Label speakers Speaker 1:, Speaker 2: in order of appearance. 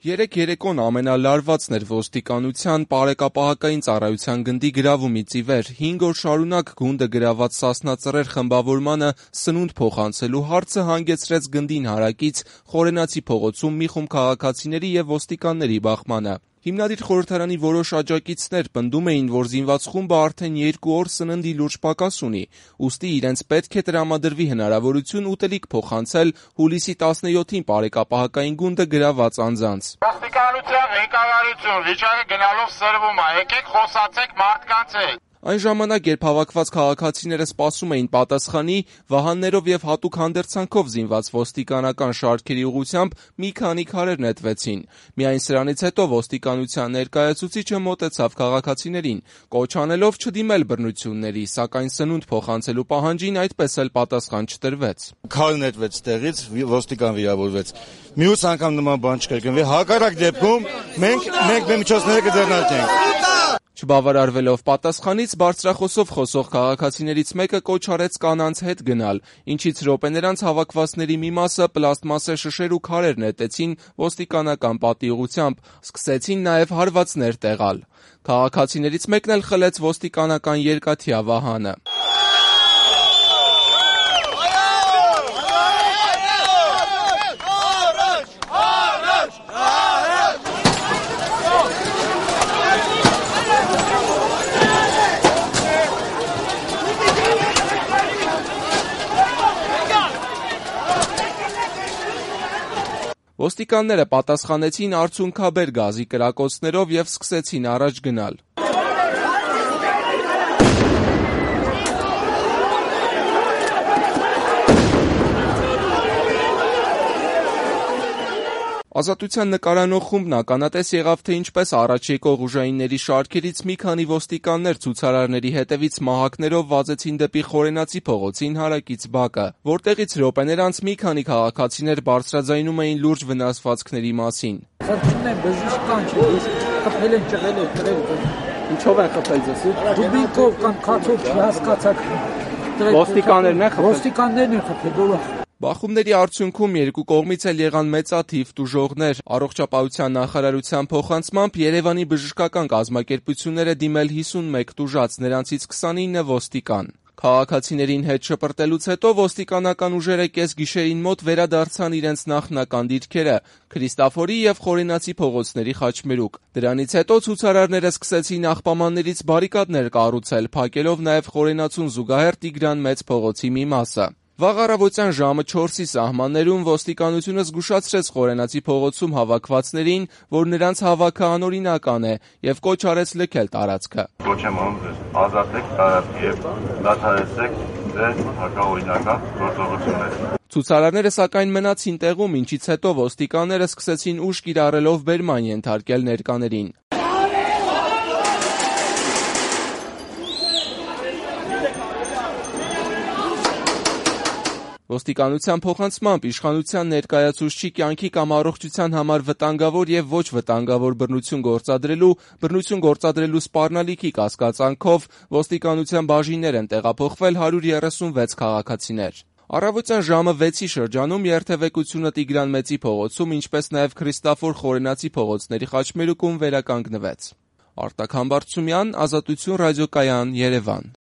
Speaker 1: Երեկ երեկոն ամենալարվածն էր ոստիկանության պարեկապահական ծառայության գնդի գրավումից ի վեր։ 5 օր շարունակ գունդը գրաված Սասնա Ծռեր խմբավորմանը սնունդ փոխանցելու հարցը հանգեցրեց գնդին հարակից Խորենացի փողոցում մի խումբ քաղաքացիների և ոստիկանների բախմանը։ Հիմնադիր խորհրդարանի որոշ աջակիցներ պնդում էին, որ զինված խումբը արդեն 2 օր սննդի լուրջ պակաս ունի, ուստի իրենց պետք է տրամադրվի հնարավորություն ուտելիք փոխանցել հուլիսի 17-ին պարեկապահական գունդը գրաված անձանց։
Speaker 2: Ոստիկանության ղեկավարություն վիճակը գնալով սրվում է, եկեք խոսացեք մարդկանց հետ։
Speaker 1: Այն ժամանակ, երբ հավաքված քաղաքացիները սպասում էին պատասխանի, վահաններով և հատուկ հանդերձանքով զինված ոստիկանական շարքերի ուղղությամբ մի քանի քարեր նետվեցին։ Միայն սրանից հետո ոստիկանության ներկայացուցիչը մոտեցավ քաղաքացիներին, կոչ անելով չդիմել բռնությունների, սակայն սնունդ փոխանցելու պահանջին այդպես էլ պատասխան չտրվեց։
Speaker 3: Քար նետվեց տեղից, ոստիկան վիրավորվեց։ Մյուս անգամ նման բան չկրկնվի, հակառակ դեպքում մենք մեր միջոցները կձեռնարկենք։
Speaker 1: Չբավարարվելով պատասխանից բարձրախոսով խոսող քաղաքացիներից մեկը կոչ արեց կանանց հետ գնալ, ինչից րոպեներ անց հավաքվածների մի մասը պլաստմասե շշեր ու քարեր նետեցին ոստիկանական պատի ուղղությամբ, սկսեցին նաև հարվածներ տեղալ։ Քաղաքացիներից մեկն էլ խլեց ոստիկանական երկաթյա վահանը։ Ոստիկանները պատասխանեցին արցունքաբեր գազի կրակոցներով և սկսեցին առաջ գնալ։ Ազատության նկարանող խումբն ականատես եղավ, թե ինչպես առաջ եկող ուժայինների շարքերից մի քանի ոստիկաններ ցուցարարների հետևից մահակներով վազեցին դեպի Խորենացի փողոցին հարակից բակը, որտեղից րոպեներ անց մի քանի քաղաքացիներ բարձրաձայնում էին լուրջ վնասվածքների մասին։
Speaker 4: Ինչով են խփել ձեզ։
Speaker 5: Դուբինկով կամ քաթով չհասկացաք։
Speaker 4: Ոստիկաններն են խփել։
Speaker 5: Ոստիկաններն են խփել։
Speaker 1: Բախումների արդյունքում երկու կողմից էլ եղան մեծաթիվ տուժողներ։ Առողջապահության նախարարության փոխանցմամբ Երևանի բժշկական կազմակերպությունները դիմել 51 տուժած, նրանցից 29 ոստիկան։ Քաղաքացիներին հետ շպրտելուց հետո ոստիկանական ուժերը կեսգիշերին մոտ վերադարձան իրենց նախնական դիրքերը՝ Քրիստաֆորի և Խորենացի փողոցների խաչմերուկ։ Դրանից հետո ցուցարարները սկսեցին աղբամաններից բարիկադներ կառուցել, փակելով նաև Խորենացուն զուգահեռ Տիգրան Մեծ փողոցի մի մասը։ Վաղ առավոտյան ժամը 4-ի սահմաններում ոստիկանությունը զգուշացրեց Խորենացի փողոցում հավաքվածներին, որ նրանց հավաքը անօրինական է և կոչ արեց լքել տարածքը։
Speaker 2: Կոչ եմ անում ձեզ, ազատեք տարածքը և դադարեցեք ձեր հակաօրինական գործողությունները։
Speaker 1: Ցուցարարները սակայն մնացին տեղում, ինչից հետո ոստիկանները սկսեցին ուժ կիրառելով բերման ենթարկել ներկաներին։ Ոստիկանության փոխանցմամբ իշխանության ներկայացուցչի կյանքի կամ առողջության համար վտանգավոր և ոչ վտանգավոր բռնություն գործադրելու սպառնալիքի կասկածանքով ոստիկանության բաժիններ են տեղափոխվել 136 քաղաքացիներ։ Առավոտյան ժամը 6-ի շրջանում երթևեկությունը Տիգրան Մեծի փողոցում, ինչպես նաև Քրիստաֆոր Խորենացի փողոցների խաչմերուկում վերականգնվեց։ Արտակ Համբարձումյան, Ազատություն ռադիոկայան, Երևան։